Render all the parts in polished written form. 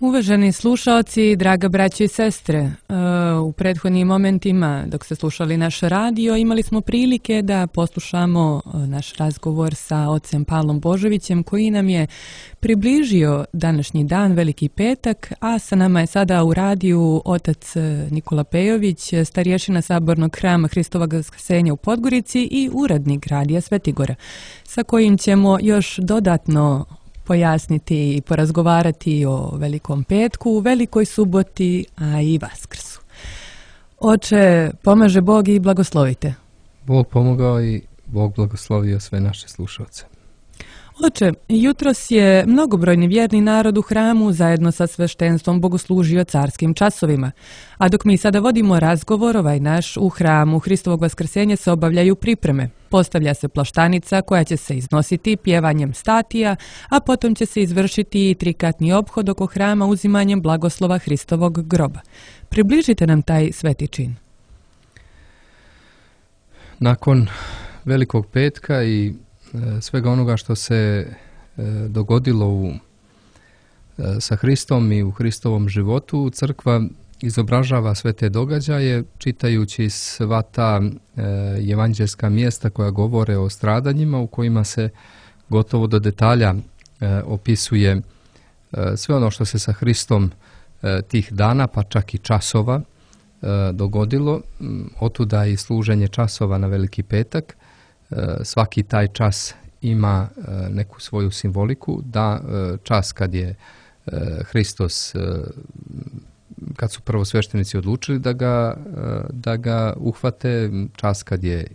Uvaženi slušaoci, draga braćo i sestre, u prethodnim momentima dok ste slušali naš radio imali smo prilike da poslušamo naš razgovor sa ocem Pavlom Božovićem koji nam je približio današnji dan, Veliki petak, a sa nama je sada u radiju otac Nikola Pejović, starješina Sabornog hrama Hristovog Vaskrsenja u Podgorici i urednik radija Svetigora, sa kojim ćemo još dodatno pojasniti i porazgovarati o Velikom petku, Velikoj suboti, a i Vaskrsu. Oče, pomaže Bog i blagoslovite. Bog pomogao i Bog blagoslovio sve naše slušalce. Oče, jutros je mnogobrojni vjerni narod u hramu zajedno sa sveštenstvom bogoslužio carskim časovima. A dok mi sada vodimo razgovor, naš u hramu Hristovog Vaskrsenja se obavljaju pripreme. Postavlja se plaštanica koja će se iznositi pjevanjem statija, a potom će se izvršiti i trikatni ophod oko hrama uzimanjem blagoslova Hristovog groba. Približite nam taj sveti čin. Nakon Velikog petka i svega onoga što se dogodilo sa Hristom i u Hristovom životu, crkva izobražava sve te događaje čitajući sva ta evanđelska mjesta koja govore o stradanjima u kojima se gotovo do detalja opisuje sve ono što se sa Hristom tih dana, pa čak i časova dogodilo. Otuda i služenje časova na Veliki petak. Svaki taj čas ima neku svoju simboliku, da čas kad je Hristos, kad su prvosveštenici odlučili da ga uhvate, čas kad je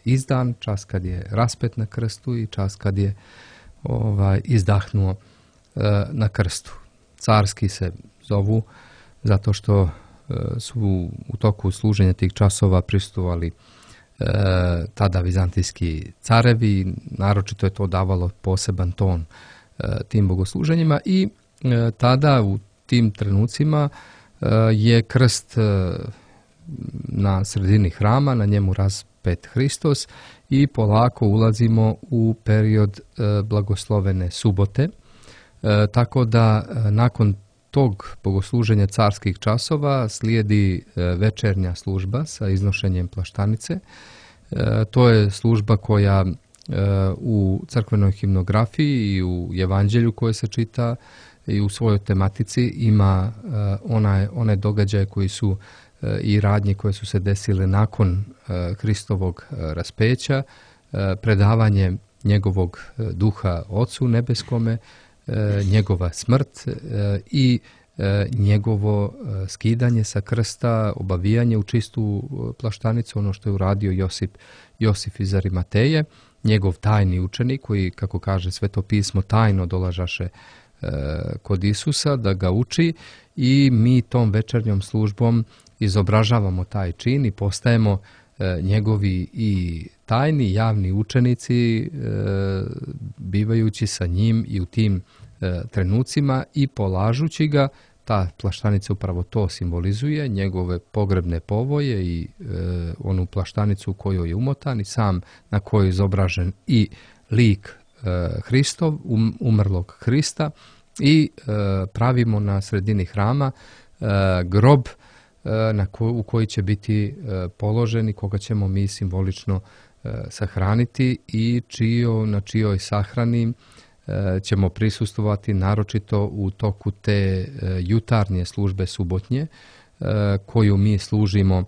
izdan, čas kad je raspet na krstu i čas kad je izdahnuo na krstu. Carski se zovu zato što su u toku služenja tih časova prisustvovali tada vizantijski carevi, naročito je to davalo poseban ton tim bogosluženjima i tada u tim trenucima je krst na sredini hrama, na njemu raspet Hristos i polako ulazimo u period blagoslovene subote, tako da nakon tog bogosluženja carskih časova slijedi večernja služba sa iznošenjem plaštanice. To je služba koja u crkvenoj himnografiji i u evanđelju koje se čita i u svojoj tematici ima one događaje koji su i radnje koje su se desile nakon Hristovog raspeća, predavanje njegovog duha Ocu nebeskome, njegova smrt i njegovo skidanje sa krsta, obavijanje u čistu plaštanicu, ono što je uradio Josif iz Arimateje, njegov tajni učenik koji, kako kaže Sveto pismo, tajno dolažaše kod Isusa da ga uči i mi tom večernjom službom izobražavamo taj čin i postajemo njegovi i tajni javni učenici, bivajući sa njim i u tim trenucima i polažući ga. Ta plaštanica upravo to simbolizuje, njegove pogrebne povoje i onu plaštanicu u kojoj je umotan i sam na kojoj je izobražen i lik Hristov, umrlog Hrista i pravimo na sredini hrama grob u koji će biti položen i koga ćemo mi simbolično sahraniti i na čijoj sahrani ćemo prisustvovati naročito u toku te jutarnje službe subotnje koju mi služimo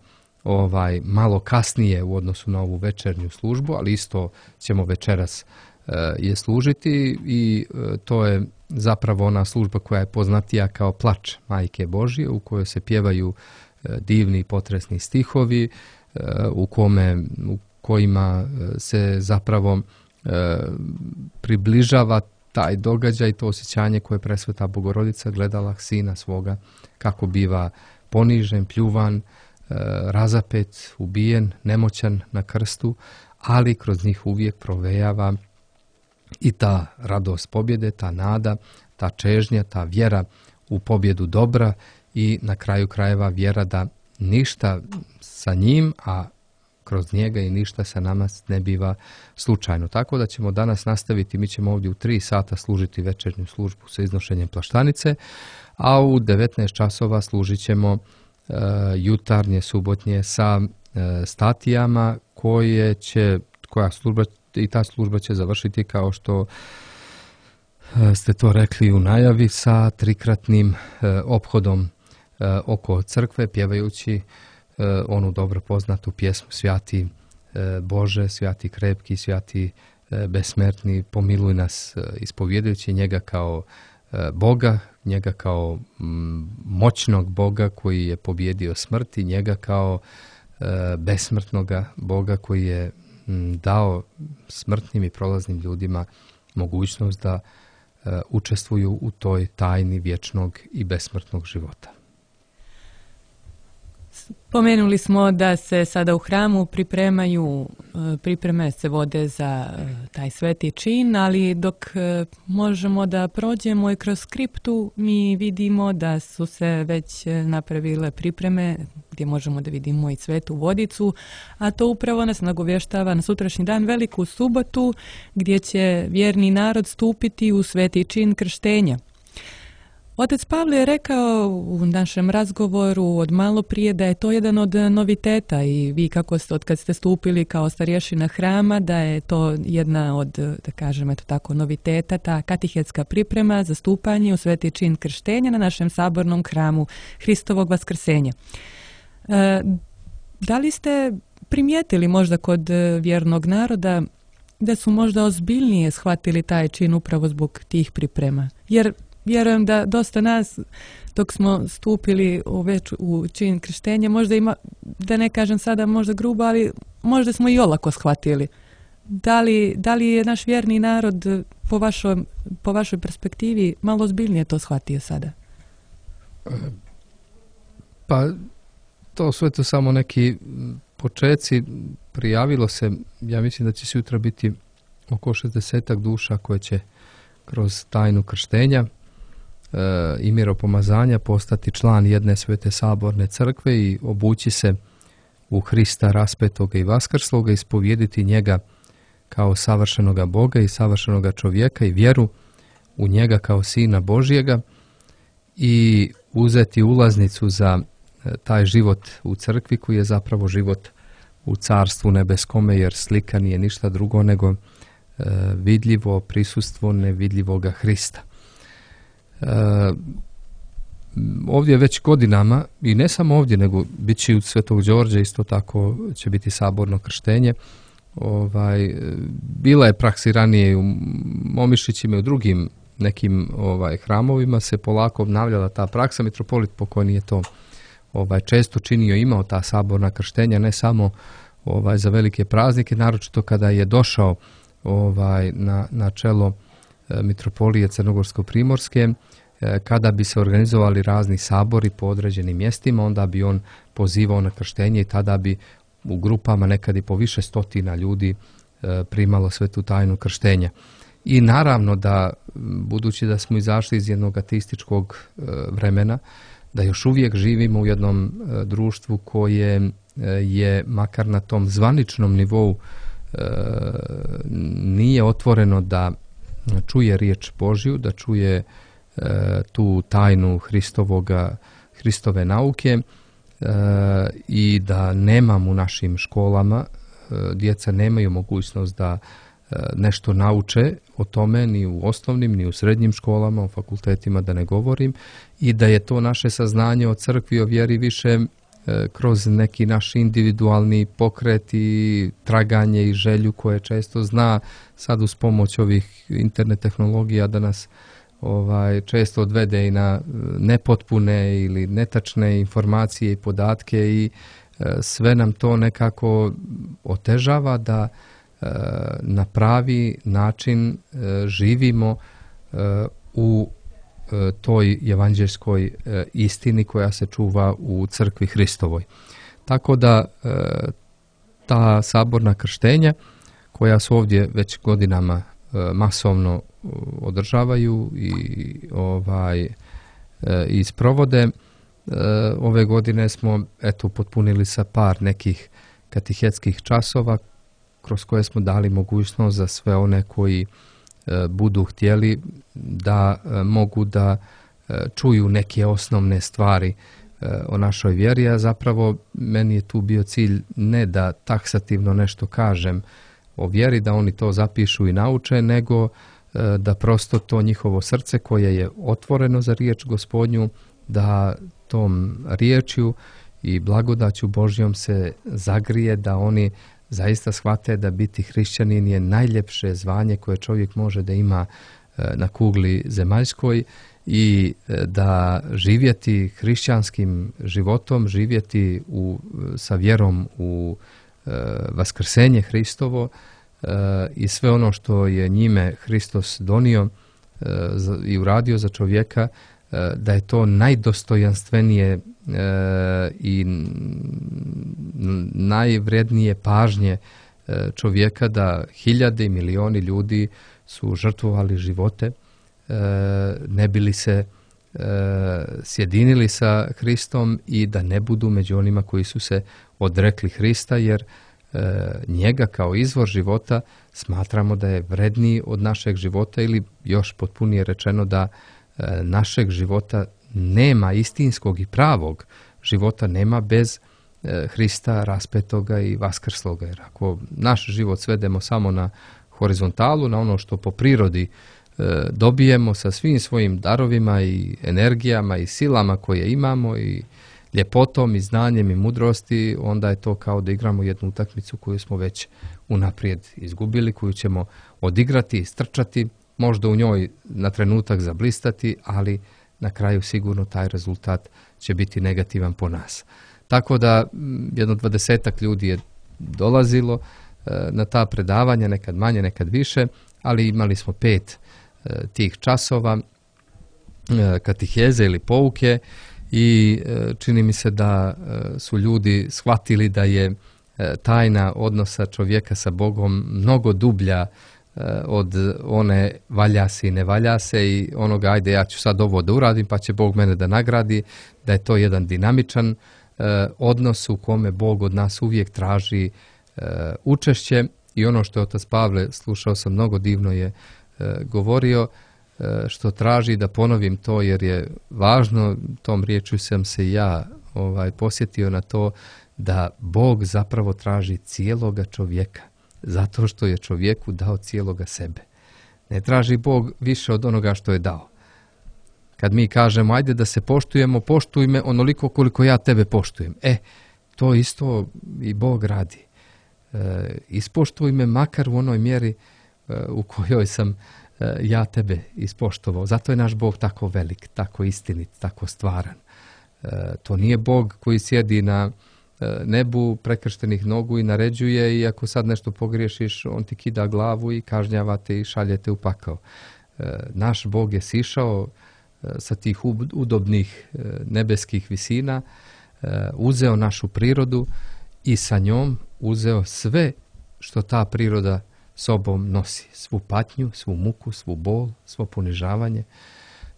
malo kasnije u odnosu na ovu večernju službu, ali isto ćemo večeras je služiti i to je zapravo ona služba koja je poznatija kao plač Majke Božje u kojoj se pjevaju divni i potresni stihovi u kojima se zapravo približava taj događaj, to osjećanje koje presveta Bogorodica gledala sina svoga kako biva ponižen, pljuvan, razapet, ubijen, nemoćan na krstu, ali kroz njih uvijek provejava i ta radost pobjede, ta nada, ta čežnja, ta vjera u pobjedu dobra i na kraju krajeva vjera da ništa sa njim, a kroz njega i ništa sa nama ne biva slučajno. Tako da ćemo danas nastaviti, mi ćemo ovdje u 3 sata služiti večernju službu sa iznošenjem plaštanice, a u 19 časova služit ćemo jutarnje, subotnje sa statijama ta služba će završiti kao što ste to rekli u najavi sa trikratnim ophodom oko crkve, pjevajući onu dobro poznatu pjesmu Svjati Bože, svjati krepki, svjati besmrtni, pomiluj nas, ispovjedajući njega kao Boga, njega kao moćnog Boga koji je pobjedio smrt i njega kao besmrtnoga Boga koji je dao smrtnim i prolaznim ljudima mogućnost da učestvuju u toj tajni vječnog i besmrtnog života. Pomenuli smo da se sada u hramu pripreme se vode za taj sveti čin, ali dok možemo da prođemo i kroz skriptu, mi vidimo da su se već napravile pripreme gdje možemo da vidimo i svetu vodicu, a to upravo nas nagovještava na sutrašnji dan, Veliku subotu, gdje će vjerni narod stupiti u sveti čin krštenja. Otac Pavle je rekao u našem razgovoru od malo prije da je to jedan od noviteta i vi kako ste, od kad ste stupili kao starješina hrama, da je to jedna od, da kažem, eto tako, noviteta, ta katehetska priprema za stupanje u sveti čin krštenja na našem sabornom hramu Hristovog vaskrsenja. Da li ste primijetili možda kod vjernog naroda da su možda ozbiljnije shvatili taj čin upravo zbog tih priprema? Jer vjerujem da dosta nas, dok smo stupili u čin krštenja, možda ima, da ne kažem sada možda grubo, ali možda smo i olako shvatili. Da li je naš vjerni narod po vašoj perspektivi malo ozbiljnije to shvatio sada? Pa to su eto samo neki počeci. Prijavilo se, ja mislim da će sutra biti oko 60 duša koje će kroz tajnu krštenja i miropomazanja postati član jedne svete saborne crkve i obući se u Hrista raspetoga i vaskrsloga, ispovjediti njega kao savršenoga Boga i savršenoga čovjeka i vjeru u njega kao Sina Božjega i uzeti ulaznicu za taj život u crkvi koji je zapravo život u Carstvu nebeskome, jer slika nije ništa drugo nego vidljivo prisustvo nevidljivoga Hrista. Ovdje već godinama, i ne samo ovdje, nego bit će u Svetog Đorđa isto tako će biti saborno krštenje. Bila je praksi ranije i u Momišićima i u drugim nekim hramovima se polako obnavljala ta praksa. Mitropolit pokojni je to često činio, imao ta saborna krštenja, ne samo za velike praznike, naročito kada je došao na čelo mitropolije Crnogorsko-Primorske, kada bi se organizovali razni sabori po određenim mjestima, onda bi on pozivao na krštenje i tada bi u grupama nekad i po više stotina ljudi primalo svetu tajnu krštenja. I naravno da, budući da smo izašli iz jednog ateističkog vremena, da još uvijek živimo u jednom društvu koje je, makar na tom zvaničnom nivou, nije otvoreno da čuje riječ Božju, da čuje tu tajnu Hristove nauke i da nemamo u našim školama, djeca nemaju mogućnost da nešto nauče o tome ni u osnovnim, ni u srednjim školama, o fakultetima da ne govorim, i da je to naše saznanje o crkvi, o vjeri više kroz neki naš individualni pokret i traganje i želju koje često zna sad uz pomoć ovih internet tehnologija da nas često odvede i na nepotpune ili netačne informacije i podatke i sve nam to nekako otežava da na pravi način živimo u toj evanđeljskoj istini koja se čuva u crkvi Hristovoj. Tako da ta saborna krštenja koja su ovdje već godinama masovno održavaju i sprovode, ove godine smo potpunili sa par nekih katehetskih časova kroz koje smo dali mogućnost za sve one koji budu htjeli da mogu da čuju neke osnovne stvari o našoj vjeri, a zapravo meni je tu bio cilj ne da taksativno nešto kažem o vjeri, da oni to zapišu i nauče, nego da prosto to njihovo srce koje je otvoreno za riječ Gospodnju, da tom riječju i blagodaću Božjom se zagrije, da oni zaista shvate da biti hrišćanin je najljepše zvanje koje čovjek može da ima na kugli zemaljskoj i da živjeti hrišćanskim životom, živjeti sa vjerom u vaskrsenje Hristovo i sve ono što je njime Hristos donio i uradio za čovjeka, da je to najdostojanstvenije i najvrednije pažnje čovjeka, da hiljade i milioni ljudi su žrtvovali živote ne bi li se sjedinili sa Hristom i da ne budu među onima koji su se odrekli Hrista, jer njega kao izvor života smatramo da je vredniji od našeg života, ili još potpunije rečeno da našeg života nema, istinskog i pravog života nema bez Hrista raspetoga i vaskrsloga. Jer ako naš život svedemo samo na horizontalu, na ono što po prirodi dobijemo sa svim svojim darovima i energijama i silama koje imamo i ljepotom i znanjem i mudrosti, onda je to kao da igramo jednu utakmicu koju smo već unaprijed izgubili, koju ćemo odigrati, istrčati, možda u njoj na trenutak zablistati, ali na kraju sigurno taj rezultat će biti negativan po nas. Tako da jedno 20 ljudi je dolazilo na ta predavanja, nekad manje, nekad više, ali imali smo 5 tih časova katiheze ili pouke i čini mi se da su ljudi shvatili da je tajna odnosa čovjeka sa Bogom mnogo dublja od one valja se i ne valja se i onoga ajde ja ću sad ovo da uradim pa će Bog mene da nagradi, da je to jedan dinamičan odnos u kome Bog od nas uvijek traži učešće. I ono što je otac Pavle, slušao sam, mnogo divno je govorio, što traži, da ponovim to jer je važno, tom riječju sam se ja posjetio na to, da Bog zapravo traži cijeloga čovjeka, zato što je čovjeku dao cijeloga sebe. Ne traži Bog više od onoga što je dao. Kad mi kažemo ajde da se poštujemo, poštuj me onoliko koliko ja tebe poštujem. To isto i Bog radi. Ispoštuj me makar u onoj mjeri u kojoj sam ja tebe ispoštovao. Zato je naš Bog tako velik, tako istinit, tako stvaran. To nije Bog koji sjedi na nebu prekrštenih nogu i naređuje, i ako sad nešto pogriješiš, on ti kida glavu i kažnjava te i šalje te u pakao. Naš Bog je sišao sa tih udobnih nebeskih visina, uzeo našu prirodu i sa njom uzeo sve što ta priroda sobom nosi. Svu patnju, svu muku, svu bol, svo ponižavanje,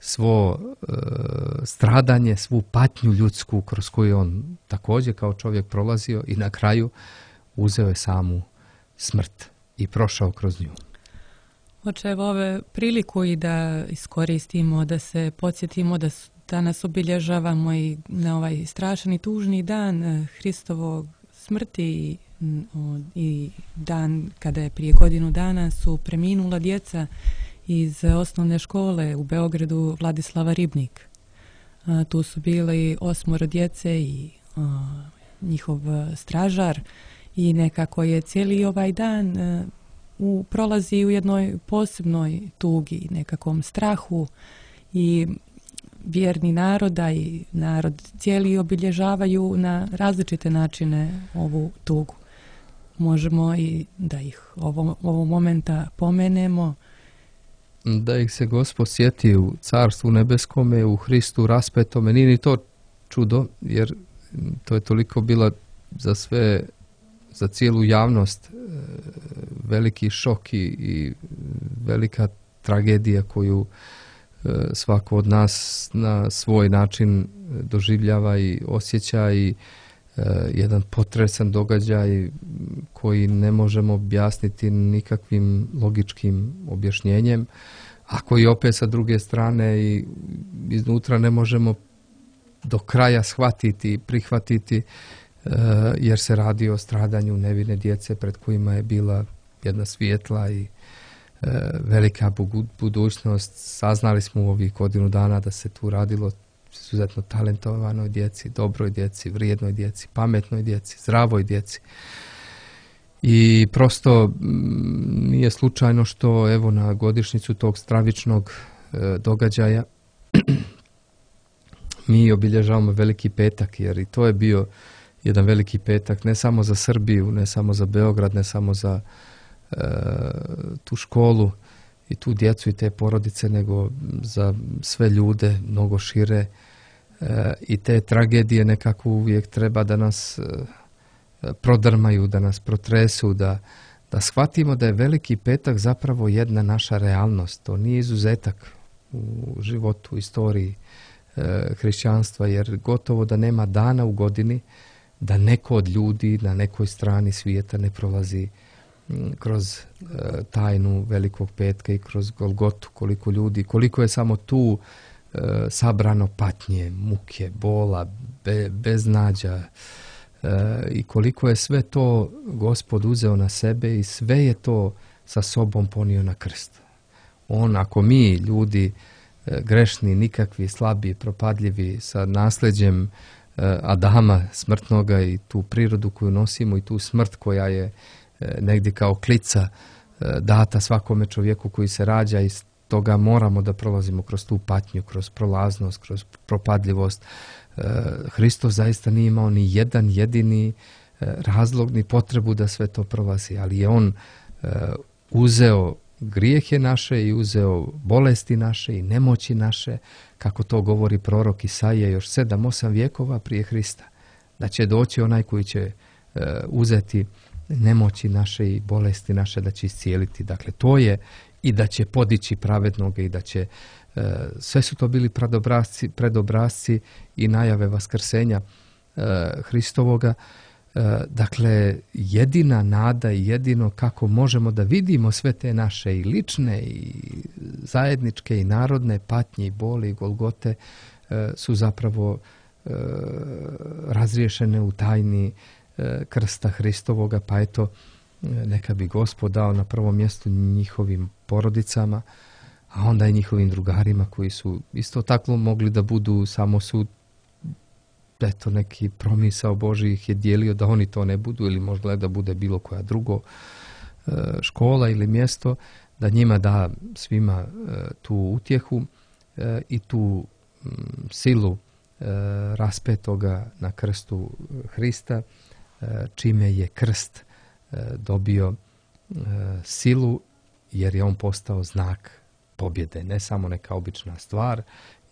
svo stradanje, svu patnju ljudsku kroz koju on također kao čovjek prolazio, i na kraju uzeo je samu smrt i prošao kroz nju. Oče, evo ove priliku i da iskoristimo, da se podsjetimo da danas obilježavamo i na ovaj strašan i tužni dan Hristovog smrti i dan kada je prije godinu dana su preminula djeca iz osnovne škole u Beogradu Vladislava Ribnik. Tu su bili 8 djece i njihov stražar, i nekako je cijeli ovaj dan prolazi u jednoj posebnoj tugi, nekakvom strahu, i vjerni naroda i narod cijeli obilježavaju na različite načine ovu tugu. Možemo i da ih ovog momenta pomenemo. Da ih se Gospod sjeti u Carstvu nebeskome, u Hristu raspetome. Nije ni to čudo, jer to je toliko bila za cijelu javnost veliki šok i velika tragedija koju svako od nas na svoj način doživljava i osjeća, i jedan potresan događaj koji ne možemo objasniti nikakvim logičkim objašnjenjem, ako i opet sa druge strane i iznutra ne možemo do kraja shvatiti i prihvatiti, jer se radi o stradanju nevine djece pred kojima je bila jedna svijetla i velika budućnost. Saznali smo u ovih godinu dana da se tu radilo izuzetno talentovanoj djeci, dobroj djeci, vrijednoj djeci, pametnoj djeci, zdravoj djeci. I prosto nije slučajno što evo na godišnjicu tog stravičnog događaja mi obilježavamo Veliki petak, jer i to je bio jedan veliki petak ne samo za Srbiju, ne samo za Beograd, ne samo za tu školu i tu djecu i te porodice, nego za sve ljude mnogo šire. I te tragedije nekako uvijek treba da nas prodrmaju, da nas protresu, da shvatimo da je Veliki petak zapravo jedna naša realnost. To nije izuzetak u životu, u istoriji hrišćanstva, jer gotovo da nema dana u godini da neko od ljudi na nekoj strani svijeta ne prolazi kroz tajnu Velikog petka i kroz Golgotu. Koliko ljudi, koliko je samo tu sabrano patnje, muke, bola, beznađa, i koliko je sve to Gospod uzeo na sebe i sve je to sa sobom ponio na krst. Ako mi, ljudi grešni, nikakvi, slabi, propadljivi, sa nasljeđem Adama smrtnoga i tu prirodu koju nosimo i tu smrt koja je negdje kao klica data svakome čovjeku koji se rađa, i toga moramo da prolazimo kroz tu patnju, kroz prolaznost, kroz propadljivost. Hristos zaista nije imao ni jedan jedini razlog ni potrebu da sve to prolazi, ali je on uzeo grijehe naše i uzeo bolesti naše i nemoći naše, kako to govori prorok Isaija još 7-8 vjekova prije Hrista, da će doći onaj koji će uzeti nemoći naše i bolesti naše, da će iscijeliti. Dakle, to je i da će podići pravednoga i da će, sve su to bili predobrazci i najave vaskrsenja Hristovoga. Dakle, jedina nada i jedino kako možemo da vidimo sve te naše i lične i zajedničke i narodne patnje i boli i golgote su zapravo razriješene u tajni krsta Hristovoga, pa eto, neka bi Gospod dao na prvom mjestu njihovim porodicama, a onda i njihovim drugarima koji su isto tako mogli da budu, samo su eto neki promisao Božji ih je dijelio da oni to ne budu, ili možda da bude bilo koja drugo škola ili mjesto, da njima da svima tu utjehu i tu silu raspetoga na krstu Hrista, čime je krst dobio silu, jer je on postao znak pobjede, ne samo neka obična stvar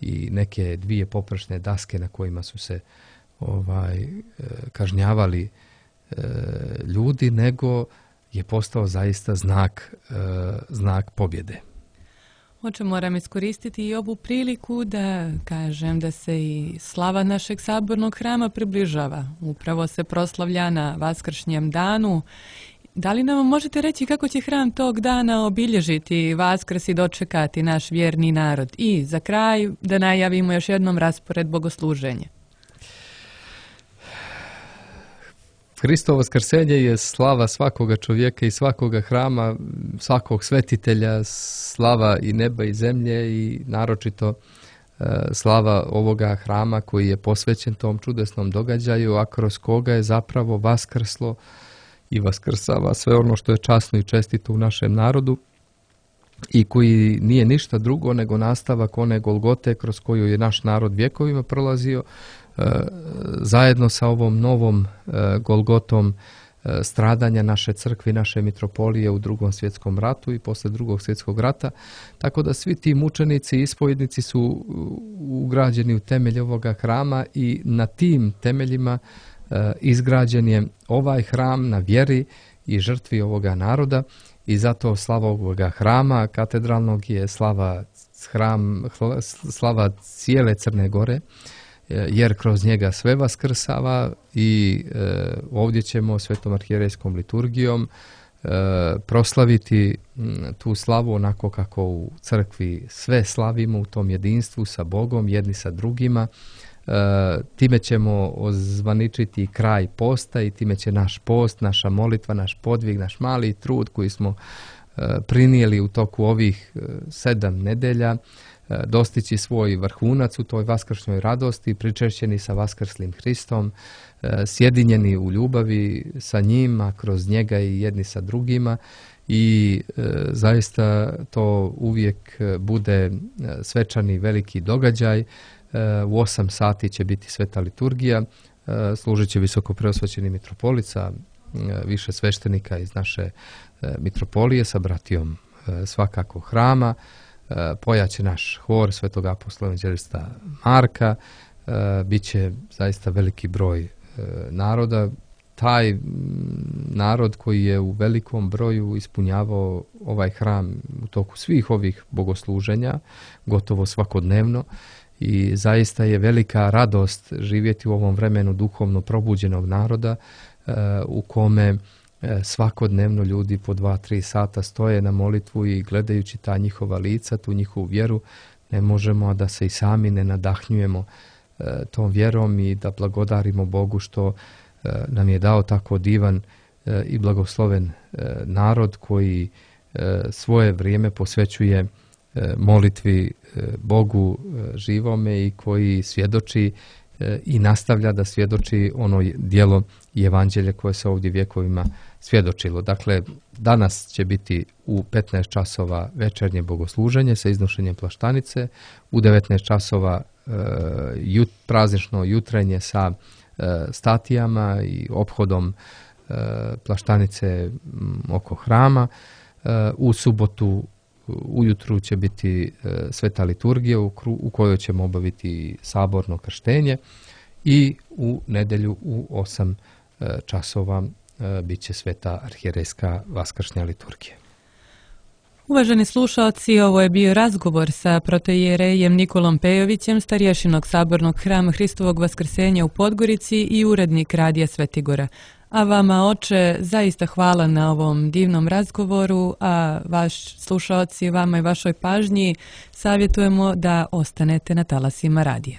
i neke dvije poprečne daske na kojima su se kažnjavali ljudi, nego je postao zaista znak pobjede. Oče, moram iskoristiti i ovu priliku da kažem da se i slava našeg sabornog hrama približava. Upravo se proslavlja na Vaskršnjem danu. Da li nam možete reći kako će hram tog dana obilježiti Vaskrs i dočekati naš vjerni narod? I za kraj da najavimo još jednom raspored bogosluženja. Hristovo vaskrsenje je slava svakoga čovjeka i svakoga hrama, svakog svetitelja, slava i neba i zemlje i naročito slava ovoga hrama koji je posvećen tom čudesnom događaju, a kroz koga je zapravo vaskrslo i vaskrsava sve ono što je časno i čestito u našem narodu i koji nije ništa drugo nego nastavak one Golgote kroz koju je naš narod vjekovima prolazio, zajedno sa ovom novom Golgotom stradanja naše crkve i naše mitropolije u Drugom svjetskom ratu i posle Drugog svjetskog rata. Tako da svi ti mučenici i ispovjednici su ugrađeni u temelj ovoga hrama i na tim temeljima izgrađen je ovaj hram na vjeri i žrtvi ovoga naroda, i zato slava ovoga hrama katedralnog je slava cijele Crne Gore, jer kroz njega sve vaskrsava i ovdje ćemo svetom arhijerejskom liturgijom proslaviti tu slavu onako kako u crkvi sve slavimo u tom jedinstvu sa Bogom, jedni sa drugima. Time ćemo ozvaničiti kraj posta i time će naš post, naša molitva, naš podvig, naš mali trud koji smo prinijeli u toku ovih 7 nedelja dostići svoj vrhunac u toj vaskršnjoj radosti, pričešćeni sa vaskrslim Hristom, sjedinjeni u ljubavi sa njim, a kroz njega i jedni sa drugima i zaista to uvijek bude svečani veliki događaj. U 8 sati će biti sveta liturgija, služit će visokopreosvećeni mitropolit sa više sveštenika iz naše mitropolije sa bratijom svakako hrama, pojaće naš hor svetog apostola evanđelista Marka, bit će zaista veliki broj naroda. Taj narod koji je u velikom broju ispunjavao ovaj hram u toku svih ovih bogosluženja, gotovo svakodnevno, i zaista je velika radost živjeti u ovom vremenu duhovno probuđenog naroda u kome svakodnevno ljudi po 2-3 sata stoje na molitvu i gledajući ta njihova lica, tu njihovu vjeru, ne možemo da se i sami ne nadahnjujemo tom vjerom i da blagodarimo Bogu što nam je dao tako divan i blagosloven narod koji svoje vrijeme posvećuje molitvi Bogu živome i koji svjedoči i nastavlja da svjedoči ono djelo i evanđelje koje se ovdje vjekovima svjedočilo. Dakle, danas će biti u 15 časova večernje bogosluženje sa iznošenjem plaštanice, u 19 časova praznično jutrenje sa statijama i ophodom plaštanice oko hrama. U subotu ujutru će biti sveta liturgija u kojoj ćemo obaviti saborno krštenje i u nedjelju u 8 časova bit će sveta arhijerejska vaskršnja liturgija. Uvaženi slušalci, ovo je bio razgovor sa protoijerejem Nikolom Pejovićem, starješinog sabornog hrama Hristovog vaskrsenja u Podgorici i urednik Radija Svetigora. A vama, oče, zaista hvala na ovom divnom razgovoru, a vaš slušalci, vama i vašoj pažnji savjetujemo da ostanete na talasima radija.